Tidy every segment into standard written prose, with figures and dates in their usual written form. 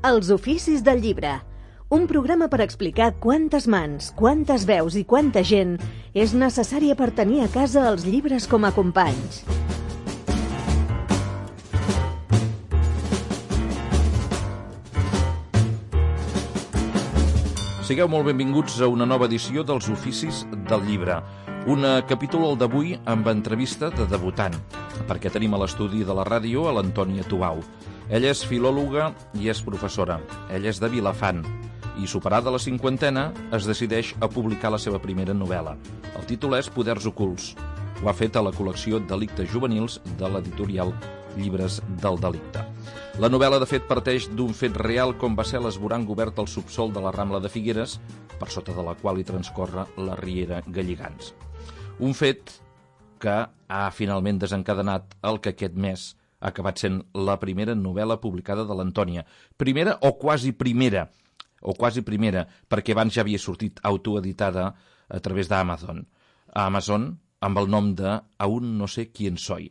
Els oficis del llibre. Un programa per explicar quantes mans, quantes veus i quanta gent és necessària per tenir a casa els llibres com a companys. Sigueu molt benvinguts a una nova edició dels Oficis del Llibre. Un capítol d'avui amb entrevista de debutant, perquè tenim a l'estudi de la ràdio a l'Antònia Tubau. Ella és filòloga i és professora. Ella és de Vilafant i, superada la cinquantena, es decideix a publicar la seva primera novel·la. El títol és Poders ocults. Ho ha fet a la col·lecció Delictes juvenils de l'editorial Llibres del Delicte. La novel·la, de fet, parteix d'un fet real com va ser l'esborang obert al subsòl de la Rambla de Figueres, per sota de la qual hi transcorre la riera Galligants. Un fet que ha finalment desencadenat el que aquest mes ha acabat sent la primera novel·la publicada de l'Antònia. Primera o quasi primera, perquè abans ja havia sortit autoeditada a través d'Amazon. A Amazon, amb el nom de Aún no sé quién soy.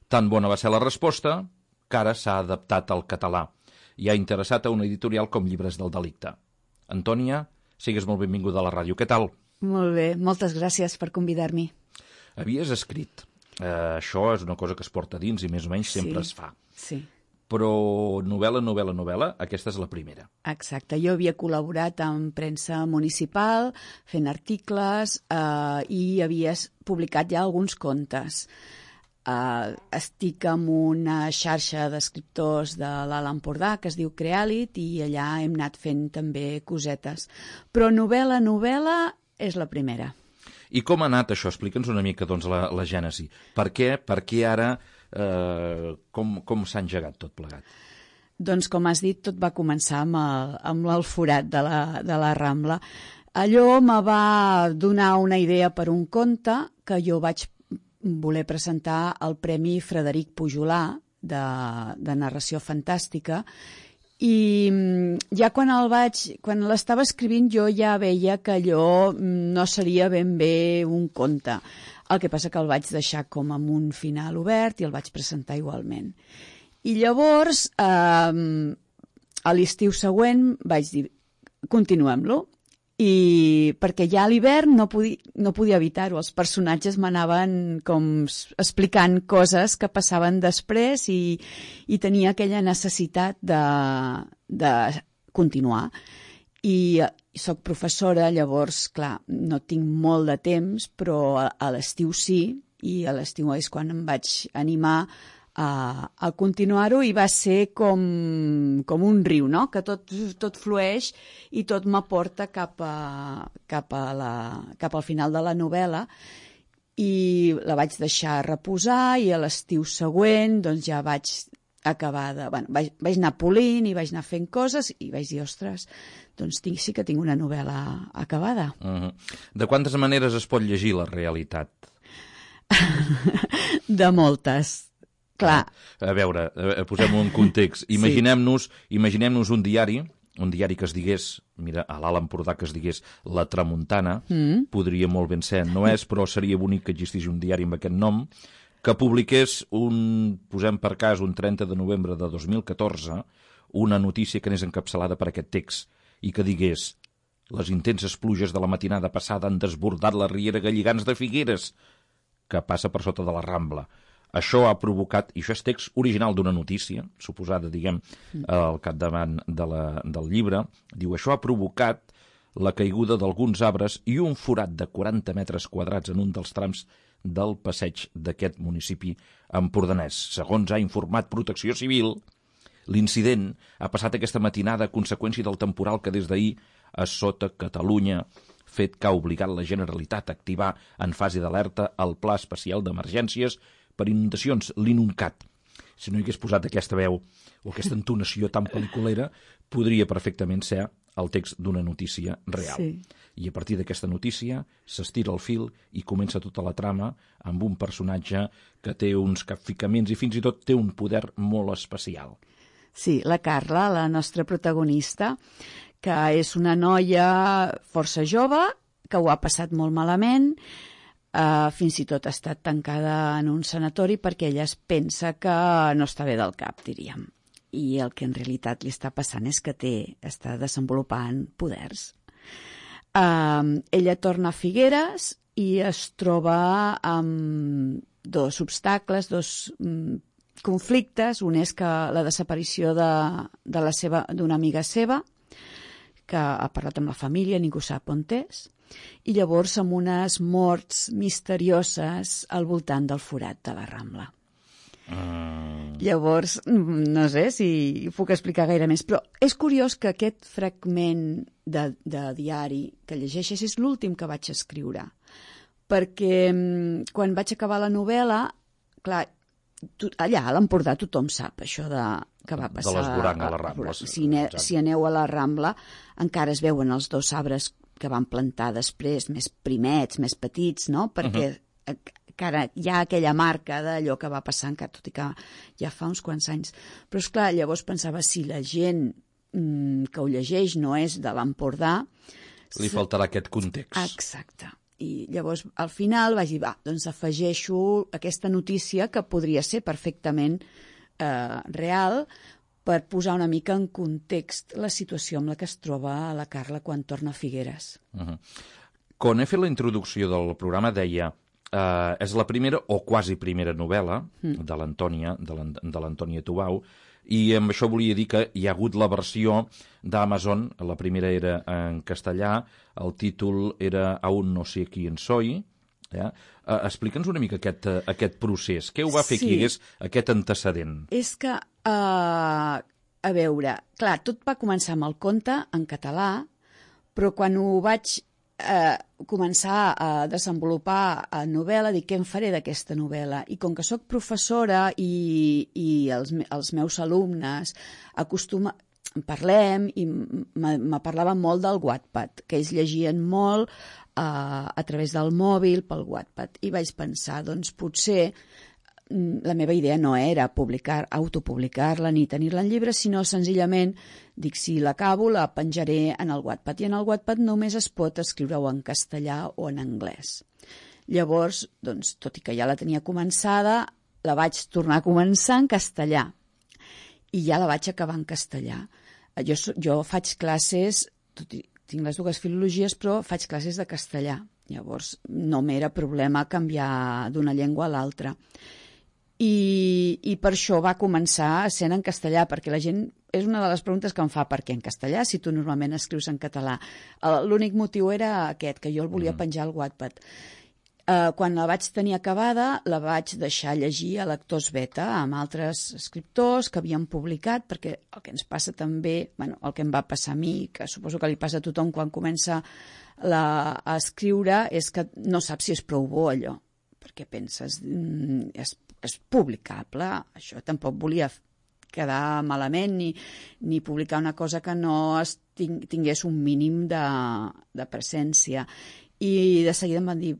Tan bona va ser la resposta que ara s'ha adaptat al català i ha interessat a una editorial com Llibres del Delicte. Antònia, sigues molt benvinguda a la ràdio. Què tal? Molt bé, moltes gràcies per convidar-m'hi. Havies escrit. Això és una cosa que es porta dins i més o menys sempre es fa. Sí. Però novel·la, aquesta és la primera. Exacte. Jo havia col·laborat amb premsa municipal, fent articles i havia publicat ja alguns contes. Estic en una xarxa d'escriptors de l'Alt Empordà que es diu Creàlit i allà hem anat fent també cosetes. Però novel·la és la primera. I com ha anat això? Explica'ns una mica doncs, la gènesi. Per què ara, com s'ha engegat tot plegat? Doncs, com has dit, tot va començar amb el forat de la Rambla. Allò me va donar una idea per un conte que jo vaig voler presentar al Premi Frederic Pujolà de narració fantàstica i ja quan l'estava escrivint jo ja veia que allò no seria ben bé un conte. El que passa que el vaig deixar com amb un final obert i el vaig presentar igualment. I llavors, a l'estiu següent vaig dir, continuem-lo. I perquè ja a l'hivern no podia evitar-ho. Els personatges m'anaven com explicant coses que passaven després i tenia aquella necessitat de continuar. I soc professora, llavors, clar, no tinc molt de temps, però a l'estiu sí, i a l'estiu és quan em vaig animar a continuar-ho i va ser com un riu, no? Que tot flueix i tot m'aporta cap al final de la novel·la i la vaig deixar reposar i a l'estiu següent doncs ja vaig acabar vaig anar polint i vaig anar fent coses i vaig dir, ostres, doncs sí que tinc una novel·la acabada. De quantes maneres es pot llegir la realitat? De moltes. Clar. A veure, posem-ho en context. Imaginem-nos un diari que es digués, mira, a l'Alt Empordà que es digués La Tramuntana, podria molt ben ser, no és, però seria bonic que existís un diari amb aquest nom, que publiqués posem per cas, un 30 de novembre de 2014, una notícia que anés encapçalada per aquest text i que digués: les intenses pluges de la matinada passada han desbordat la riera Galligants de Figueres, que passa per sota de la Rambla. Això ha provocat, i això és text original d'una notícia, suposada, diguem, al capdavant del llibre, diu, això ha provocat la caiguda d'alguns arbres i un forat de 40 metres quadrats en un dels trams del passeig d'aquest municipi empordanès. Segons ha informat Protecció Civil, l'incident ha passat aquesta matinada a conseqüència del temporal que des d'ahir assota Catalunya, fet que ha obligat la Generalitat a activar en fase d'alerta el Pla Especial d'Emergències per inundacions, l'INUNCAT. Si no hi hagués posat aquesta veu o aquesta entonació tan pel·liculera, podria perfectament ser el text d'una notícia real. Sí. I a partir d'aquesta notícia s'estira el fil i comença tota la trama amb un personatge que té uns capficaments i fins i tot té un poder molt especial. Sí, la Carla, la nostra protagonista, que és una noia força jove, que ho ha passat molt malament, fins i tot ha estat tancada en un sanatori perquè ella es pensa que no està bé del cap, diríem. i el que en realitat li està passant és que està desenvolupant poders. Ella torna a Figueres i es troba amb dos obstacles, dos conflictes. Un és que la desaparició d'una amiga seva, que ha parlat amb la família, ningú sap on és, i llavors amb unes morts misterioses al voltant del forat de la Rambla. Llavors, no sé si puc explicar gaire més, però és curiós que aquest fragment de diari que llegeixes és l'últim que vaig escriure, perquè quan vaig acabar la novel·la, clar, allà a l'Empordà tothom sap això que va passar. De l'esborang a la Rambla. Si aneu a la Rambla, encara es veuen els dos arbres que van plantar després, més primets, més petits, no? Perquè encara hi ha aquella marca d'allò que va passar, encara, tot i que ja fa uns quants anys. Però, esclar, llavors pensava, si la gent que ho llegeix no és de l'Empordà... Li faltarà aquest context. Exacte. I llavors, al final, vaig dir, doncs afegeixo aquesta notícia que podria ser perfectament real per posar una mica en context la situació amb la que es troba la Carla quan torna a Figueres. Quan he fet la introducció del programa deia és la primera o quasi primera novel·la de l'Antònia Tubau, i amb això volia dir que hi ha hagut la versió d'Amazon, la primera era en castellà, el títol era Aún no sé quién soy. Explica'ns una mica aquest procés. Què ho va fer que hi hagués aquest antecedent? És que, a veure, clar, tot va començar amb el conte en català, però quan ho vaig començar a desenvolupar a novel·la, dic, què en faré d'aquesta novel·la? I com que sóc professora i els meus alumnes parlem i me parlaven molt del Wattpad, que ells llegien molt a través del mòbil pel Wattpad. I vaig pensar, doncs potser la meva idea no era autopublicar-la ni tenir-la en llibre, sinó senzillament, dic, si l'acabo la penjaré en el Wattpad. I en el Wattpad només es pot escriure o en castellà o en anglès. Llavors, doncs, tot i que ja la tenia començada, la vaig tornar a començar en castellà. I ja la vaig acabar en castellà. Jo faig classes, tinc les dues filologies, però faig classes de castellà. Llavors, no m'era problema canviar d'una llengua a l'altra. I per això va començar sent en castellà, perquè la gent, és una de les preguntes que em fa, per què en castellà, si tu normalment escrius en català? L'únic motiu era aquest, que jo el volia penjar al Wattpad. Quan la vaig tenir acabada, la vaig deixar llegir a lectors beta amb altres escriptors que havien publicat, perquè el que ens passa també, el que em va passar a mi, que suposo que li passa a tothom quan comença a escriure, és que no saps si és prou bo allò, perquè penses, és publicable, això tampoc volia quedar malament ni publicar una cosa que no tingués un mínim de presència. I de seguida em van dir,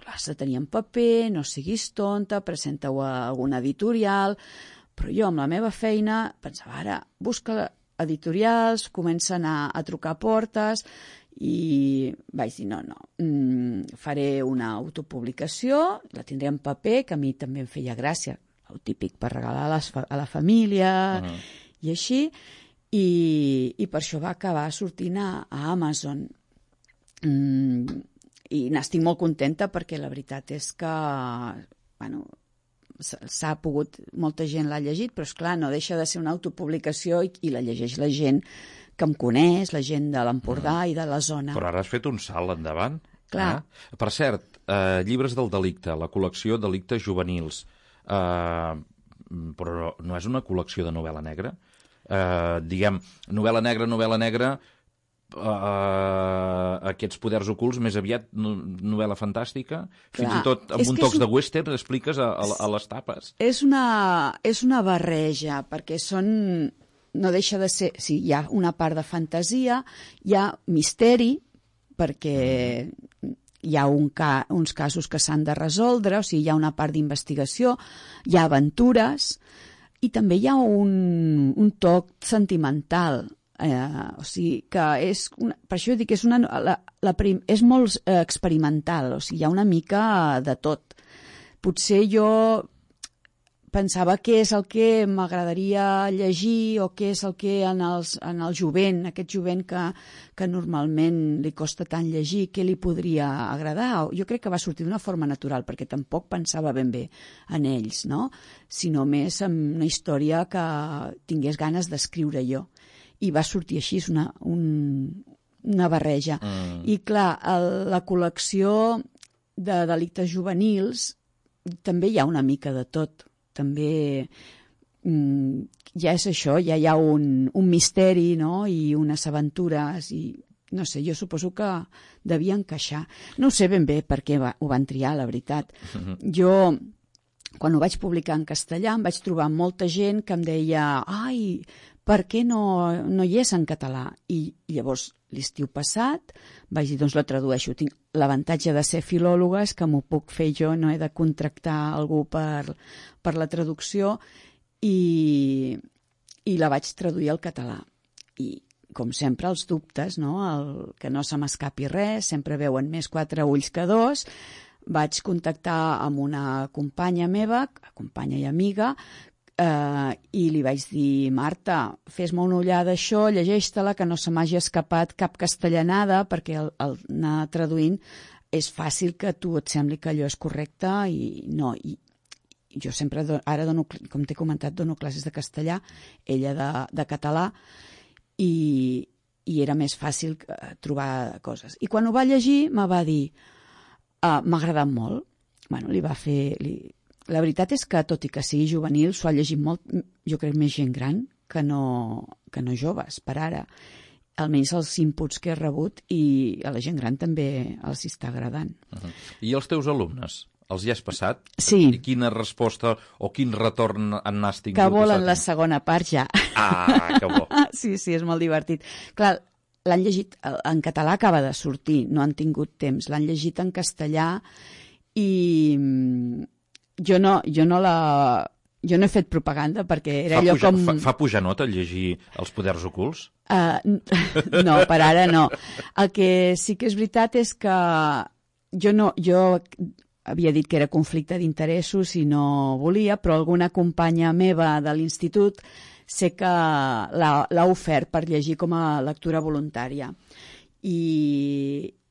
l'has de tenir en paper, no siguis tonta, presenta-ho a alguna editorial, però jo amb la meva feina pensava, ara busca editorials, comença a anar a trucar a portes, i vaig dir, no, faré una autopublicació, la tindré en paper, que a mi també em feia gràcia, el típic per regalar a la família i així, i per això va acabar sortint a Amazon. I n'estic molt contenta perquè la veritat és que s'ha pogut, molta gent l'ha llegit, però esclar, no deixa de ser una autopublicació i la llegeix la gent que em coneix, la gent de l'Empordà i de la zona. Però ara has fet un salt endavant. Clar. Per cert, Llibres del delicte, la col·lecció Delictes juvenils, però no és una col·lecció de novel·la negra? Diguem, novel·la negra, aquests poders ocults, més aviat novel·la fantàstica, fins i tot amb un tocs de western expliques a les tapes. És una barreja, perquè no deixa de ser, sí, hi ha una part de fantasia, hi ha misteri, perquè hi ha uns casos que s'han de resoldre, o sigui, hi ha una part d'investigació, hi ha aventures, i també hi ha un toc sentimental, o sigui que per això dic que és molt experimental, o sigui, hi ha una mica de tot. Potser jo pensava què és el que m'agradaria llegir o què és el que en el jovent, aquest jovent que normalment li costa tant llegir, què li podria agradar. Jo crec que va sortir d'una forma natural, perquè tampoc pensava ben bé en ells, no? Sinó més en una història que tingués ganes d'escriure jo. I va sortir així, és una barreja. I clar, la col·lecció de delictes juvenils també hi ha una mica de tot. També ja és això, ja hi ha un misteri, no? I unes aventures, i no sé, jo suposo que devia encaixar. No sé ben bé per què ho van triar, la veritat. Jo, quan ho vaig publicar en castellà, em vaig trobar molta gent que em deia ai, per què no hi és en català? I llavors, l'estiu passat, vaig dir, doncs la tradueixo. Tinc l'avantatge de ser filòloga, és que m'ho puc fer jo, no he de contractar algú per la traducció, i la vaig traduir al català. I, com sempre, els dubtes, no? Que no se m'escapi res, sempre veuen més 4 ulls que 2. Vaig contactar amb una companya meva, companya i amiga, i li vaig dir, Marta, fes-me una ullada això, llegeix-te-la, que no se m'hagi escapat cap castellanada, perquè al anar traduint és fàcil que a tu et sembli que allò és correcte i no. I jo sempre, ara dono, com t'he comentat, dono classes de castellà, ella de català, i era més fàcil trobar coses. I quan ho va llegir me va dir, m'ha agradat molt. Bueno, li va fer... La veritat és que, tot i que sigui juvenil, s'ho ha llegit molt, jo crec, més gent gran que no joves, per ara. Almenys els inputs que he rebut, i a la gent gran també els està agradant. I els teus alumnes? Els hi has passat? Sí. I quina resposta o quin retorn n'has tingut? Que volen la segona part ja. Ah, que bo. Sí, és molt divertit. Clar, l'han llegit, en català acaba de sortir, no han tingut temps. L'han llegit en castellà i... Jo no he fet propaganda perquè era allò com... Fa pujar nota llegir Els poders ocults? No, per ara no. El que sí que és veritat és que jo havia dit que era conflicte d'interessos i no volia, però alguna companya meva de l'institut sé que l'ha ofert per llegir com a lectura voluntària.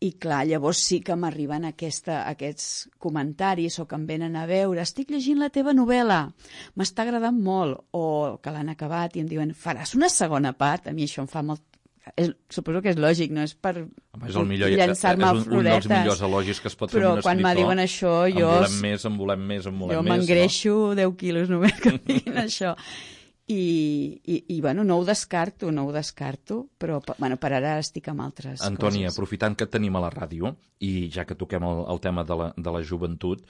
I clar, llavors sí que m'arriben aquests comentaris o que em venen a veure, estic llegint la teva novel·la, m'està agradant molt, o que l'han acabat i em diuen, faràs una segona part? A mi això em fa molt... Suposo que és lògic, no és per llançar-me floretes. És un dels millors elogis que es pot fer un escriptor. Però quan me diuen això, jo... En volem més. Jo m'engreixo 10 quilos només que diguin això. I bueno, no ho descarto, però bueno, per ara estic amb altres Antònia, coses. aprofitant que et tenim a la ràdio, i ja que toquem el tema de la joventut,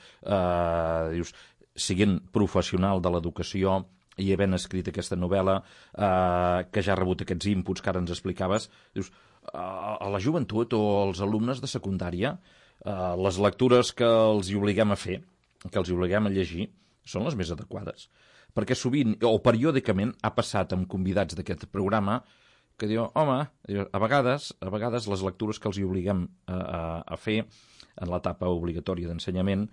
dius, siguent professional de l'educació i havent escrit aquesta novel·la, que ja ha rebut aquests inputs que ara ens explicaves, dius, a la joventut o als alumnes de secundària, les lectures que els hi obliguem a fer, que els hi obliguem a llegir, són les més adequades. Perquè sovint, o periòdicament, ha passat amb convidats d'aquest programa que diu, home, a vegades les lectures que els hi obliguem a fer en l'etapa obligatòria d'ensenyament,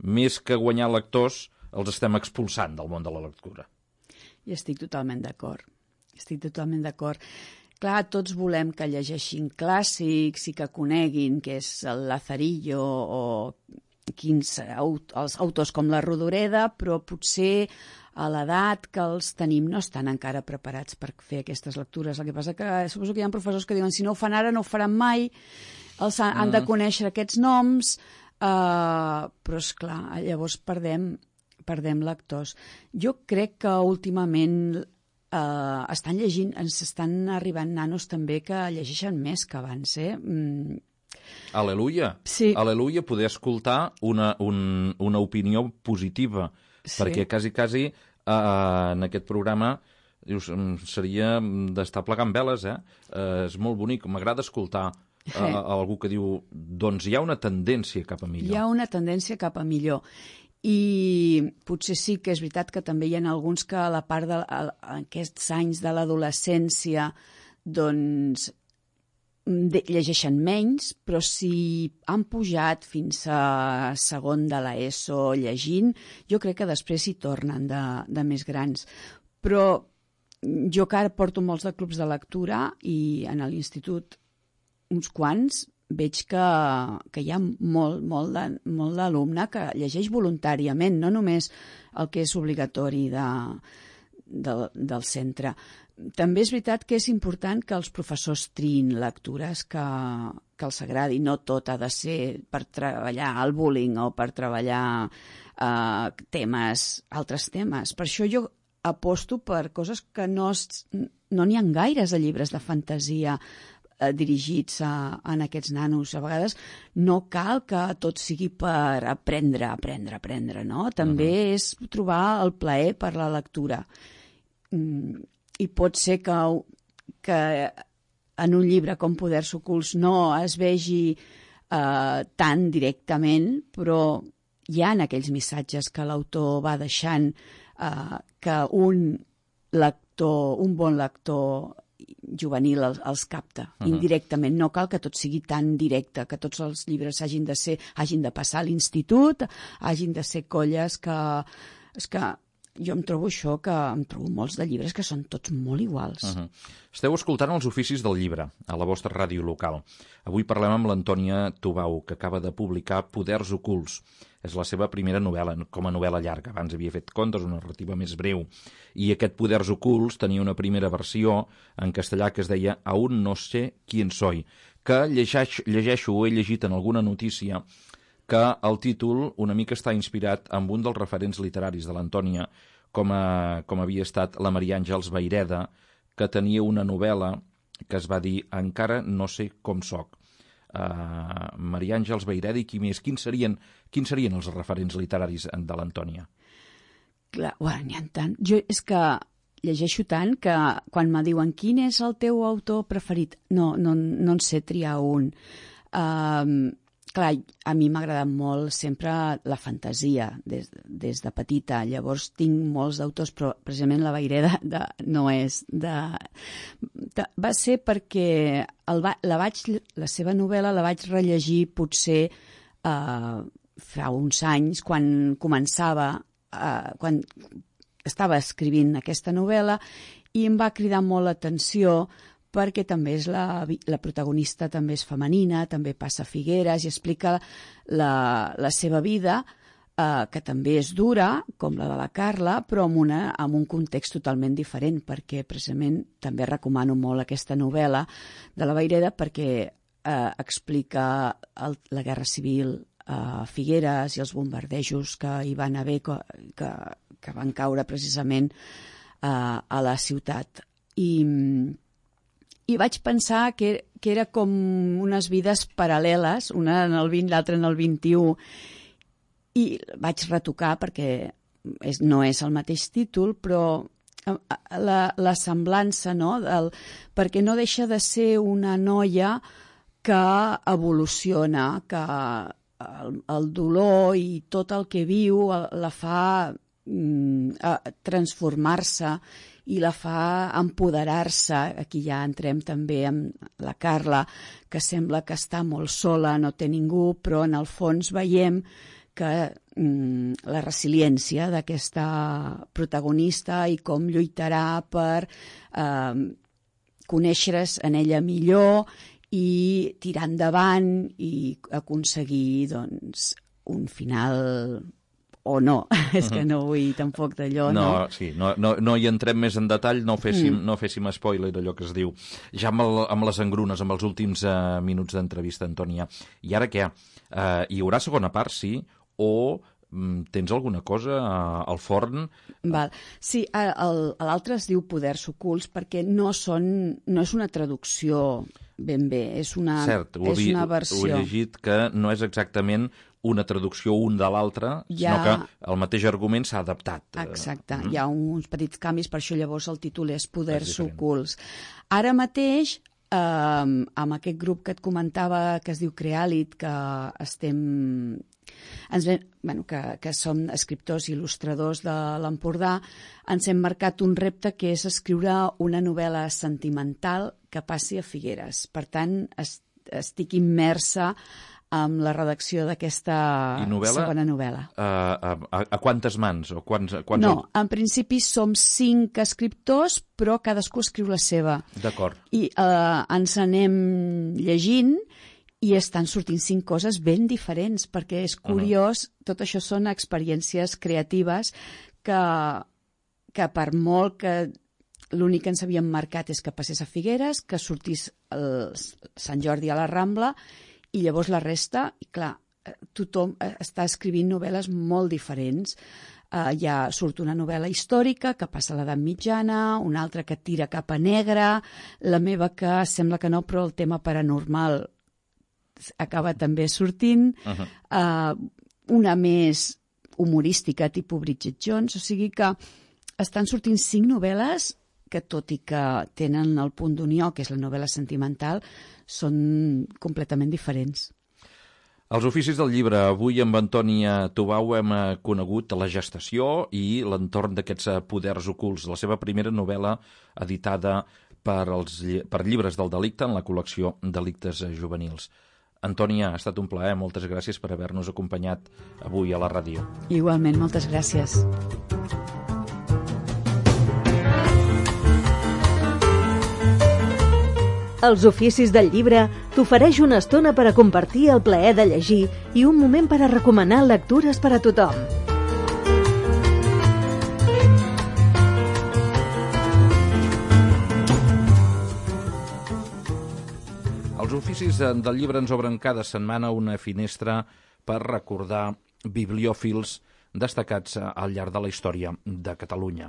més que guanyar lectors, els estem expulsant del món de la lectura. I estic totalment d'acord. Clar, tots volem que llegeixin clàssics i que coneguin què és el Lazarillo o els autors com la Rodoreda, però potser a l'edat que els tenim no estan encara preparats per fer aquestes lectures. El que passa que suposo que hi ha professors que diuen si no ho fan ara no ho faran mai, els han de conèixer aquests noms, però esclar, llavors perdem lectors. Jo crec que últimament estan llegint, ens estan arribant nanos també que llegeixen més que abans, Al·leluia. Sí. Al·leluia, poder escoltar una opinió positiva, sí. Perquè quasi en aquest programa dius, seria d'estar plegant veles, és molt bonic, m'agrada escoltar algú que diu, doncs hi ha una tendència cap a millor. Hi ha una tendència cap a millor. I potser sí que és veritat que també hi ha alguns que a la part d'aquests anys de l'adolescència doncs llegeixen menys, però si han pujat fins a segon de l'ESO llegint, jo crec que després hi tornen de més grans. Però jo que ara porto molts de clubs de lectura i en l'institut uns quants, veig que hi ha molt d'alumne que llegeix voluntàriament, no només el que és obligatori del centre. També és veritat que és important que els professors triïn lectures que els agradi. No tot ha de ser per treballar el bullying o per treballar altres temes. Per això jo aposto per coses que no n'hi ha gaires de llibres de fantasia dirigits en aquests nanos. A vegades no cal que tot sigui per aprendre, no? També és trobar el plaer per la lectura. I pot ser que en un llibre com Poders ocults no es vegi tan directament, però hi ha aquells missatges que l'autor va deixant que un bon lector juvenil els capta indirectament. No cal que tot sigui tan directe, que tots els llibres hagin de passar a l'institut, hagin de ser colles que... És que jo em trobo això, que em trobo molts de llibres que són tots molt iguals. Esteu escoltant Els oficis del llibre, a la vostra ràdio local. Avui parlem amb l'Antònia Tubau, que acaba de publicar Poders ocults. És la seva primera novel·la, com a novel·la llarga. Abans havia fet contes, una narrativa més breu. I aquest Poders ocults tenia una primera versió en castellà que es deia Aún no sé quién soy, que llegeixo o he llegit en alguna notícia que el títol una mica està inspirat amb un dels referents literaris de l'Antònia, com havia estat la Maria Àngels Vayreda, que tenia una novel·la que es va dir Encara no sé com soc. Maria Àngels Vayreda i qui més? Quins serien els referents literaris de l'Antònia? Clar, n'hi ha tant. Jo és que llegeixo tant que quan me diuen quin és el teu autor preferit, no en sé triar un. Clar, a mi m'ha agradat molt sempre la fantasia des de petita. Llavors tinc molts d'autors, però precisament la Vayreda no és va ser perquè la seva novel·la la vaig rellegir potser fa uns anys, quan estava escrivint aquesta novel·la, i em va cridar molt l'atenció perquè també és la protagonista també és femenina, també passa a Figueres i explica la seva vida, que també és dura, com la de la Carla, però amb un context totalment diferent, perquè precisament també recomano molt aquesta novel·la de la Vayreda perquè explica la Guerra Civil a Figueres i els bombardejos que hi van haver, que van caure precisament a la ciutat. I vaig pensar que era com unes vides paral·leles, una en el 20, l'altra en el 21, i vaig retocar perquè no és el mateix títol, però la semblança, no? Perquè no deixa de ser una noia que evoluciona, que el dolor i tot el que viu la fa transformar-se i la fa empoderar-se. Aquí ja entrem també amb la Carla, que sembla que està molt sola, no té ningú, però en el fons veiem que la resiliència d'aquesta protagonista i com lluitarà per conèixer-se en ella millor i tirar endavant i aconseguir un final o no, és que no vull tampoc d'allò, no? Sí, no hi entrem més en detall, no féssim spoiler, allò que es diu. Ja amb les engrunes, amb els últims minuts d'entrevista, Antònia. I ara què? Hi haurà segona part, sí? O tens alguna cosa al forn? Sí, l'altre es diu Poders ocults perquè no és una traducció ben bé, és una versió. Ho he llegit que no és exactament una traducció un de l'altre, sinó que el mateix argument s'ha adaptat. Exacte, hi ha uns petits canvis, per això llavors el títol és Poders ocults. Ara mateix amb aquest grup que et comentava, que es diu Creàlit, que que som escriptors i il·lustradors de l'Empordà, ens hem marcat un repte que és escriure una novel·la sentimental que passi a Figueres. Per tant, estic immersa amb la redacció d'aquesta segona novel·la. A quantes mans? O quants... No, en principi som 5 escriptors, però cadascú escriu la seva. D'acord. I ens anem llegint i estan sortint 5 coses ben diferents, perquè és curiós, tot això són experiències creatives que per molt que l'únic que ens havíem marcat és que passés a Figueres, que sortís el Sant Jordi a la Rambla, i llavors la resta, i clar, tothom està escrivint novel·les molt diferents. Ja surt una novel·la històrica que passa a l'edat mitjana, una altra que tira cap a negre, la meva que sembla que no, però el tema paranormal acaba també sortint, una més humorística, tipus Bridget Jones, o sigui que estan sortint 5 novel·les que, tot i que tenen el punt d'unió, que és la novel·la sentimental, són completament diferents. Els oficis del llibre. Avui amb Antònia Tubau hem conegut la gestació i l'entorn d'aquests poders ocults. La seva primera novel·la editada per Llibres del Delicte en la col·lecció Delictes Juvenils. Antònia, ha estat un plaer. Moltes gràcies per haver-nos acompanyat avui a la ràdio. Igualment, moltes gràcies. Els oficis del llibre t'ofereix una estona per a compartir el plaer de llegir i un moment per a recomanar lectures per a tothom. Els oficis del llibre ens obren cada setmana una finestra per recordar bibliòfils destacats al llarg de la història de Catalunya.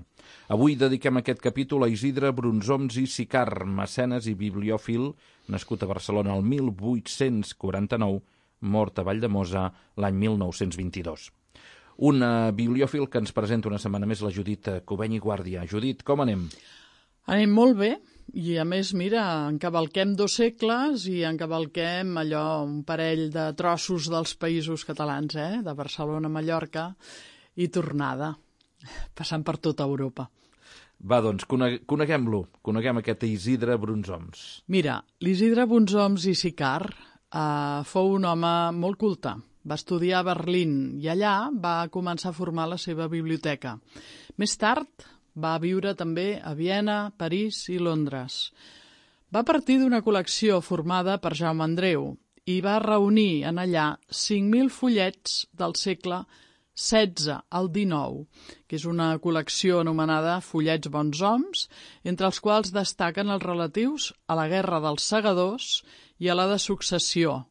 Avui dediquem aquest capítol a Isidre Brunsoms i Sicart, mecenes i bibliòfil, nascut a Barcelona el 1849, mort a Valldemossa l'any 1922. Un bibliòfil que ens presenta una setmana més la Judit Cubeny i Guàrdia. Judit, com anem? Anem molt bé. I a més, mira, encavalquem 2 segles i encavalquem allò, un parell de trossos dels països catalans, de Barcelona a Mallorca i tornada, passant per tota Europa. Va, doncs, coneguem-lo. Coneguem aquest Isidre Brunsoms. Mira, l'Isidre Brunsoms i Sicart fou un home molt culte. Va estudiar a Berlín i allà va començar a formar la seva biblioteca. Més tard va viure també a Viena, París i Londres. Va partir d'una col·lecció formada per Jaume Andreu i va reunir en allà 5.000 fullets del segle XVI al XIX, que és una col·lecció anomenada Fullets Bons Homes, entre els quals destaquen els relatius a la Guerra dels Segadors i a la de Successió.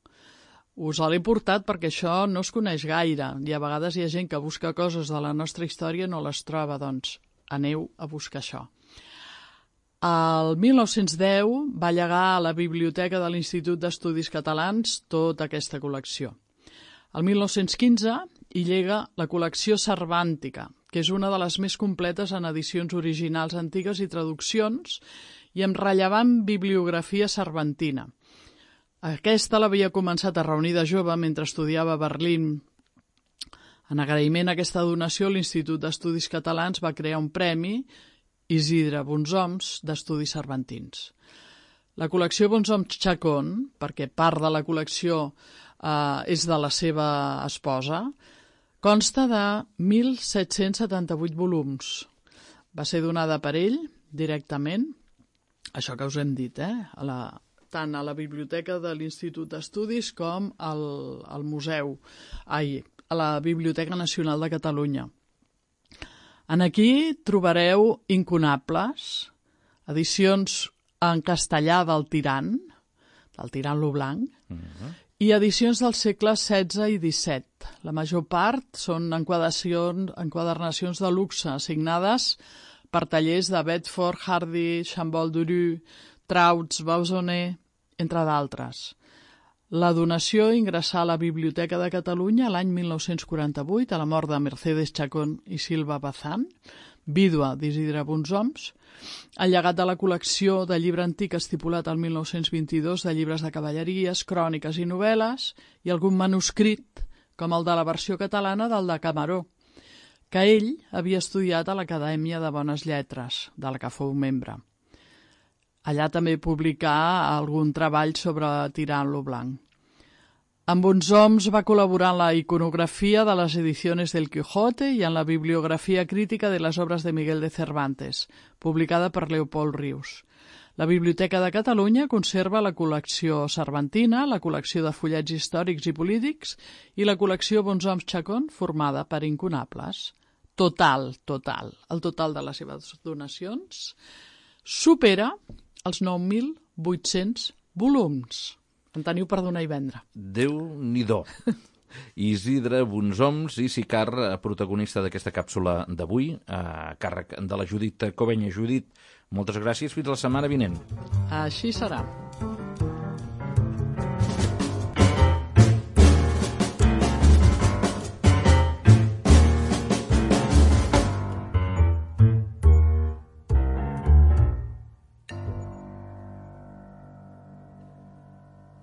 Us l'he portat perquè això no es coneix gaire i a vegades hi ha gent que busca coses de la nostra història i no les troba, doncs aneu a buscar això. El 1910 va llegar a la Biblioteca de l'Institut d'Estudis Catalans tota aquesta col·lecció. El 1915 hi llega la col·lecció Cervàntica, que és una de les més completes en edicions originals antigues i traduccions i amb rellevant bibliografia cervantina. Aquesta l'havia començat a reunir de jove mentre estudiava a Berlín. En agraïment a aquesta donació, l'Institut d'Estudis Catalans va crear un premi, Isidre Brunsoms, d'Estudis Cervantins. La col·lecció Brunsoms Chacón, perquè part de la col·lecció és de la seva esposa, consta de 1.778 volums. Va ser donada per ell directament, això que us hem dit, tant a la biblioteca de l'Institut d'Estudis com al museu, a la Biblioteca Nacional de Catalunya. En aquí trobareu incunables, edicions en castellà del Tirant lo Blanc, i edicions dels segles XVI i XVII. La major part són enquadernacions de luxe, signades per tallers de Bedford, Hardy, Chambol Duru, Trauts, Bauzonnet, entre d'altres. La donació ingressà a la Biblioteca de Catalunya l'any 1948, a la mort de Mercedes Chacón i Silva Bazán, vídua d'Isidre Bonsoms. El llegat de la col·lecció de llibre antic estipulat al 1922 de llibres de cavalleries, cròniques i novel·les, i algun manuscrit, com el de la versió catalana del de Camaró, que ell havia estudiat a l'Acadèmia de Bones Lletres, de la que fou membre. Allà també publicà algun treball sobre Tirant lo Blanc. Amb Bonsoms va col·laborar en la iconografia de les edicions del Quijote i en la bibliografia crítica de les obres de Miguel de Cervantes, publicada per Leopold Rius. La Biblioteca de Catalunya conserva la col·lecció cervantina, la col·lecció de fullets històrics i polítics i la col·lecció Bonsoms Chacón, formada per incunables. El total de les seves donacions supera els 9.800 volums. En teniu per donar i vendre. Déu-n'hi-do. Isidre Bonsoms i Sicar, protagonista d'aquesta càpsula d'avui, a càrrec de la Judit Covenya. Judit, moltes gràcies. Fins la setmana vinent. Així serà.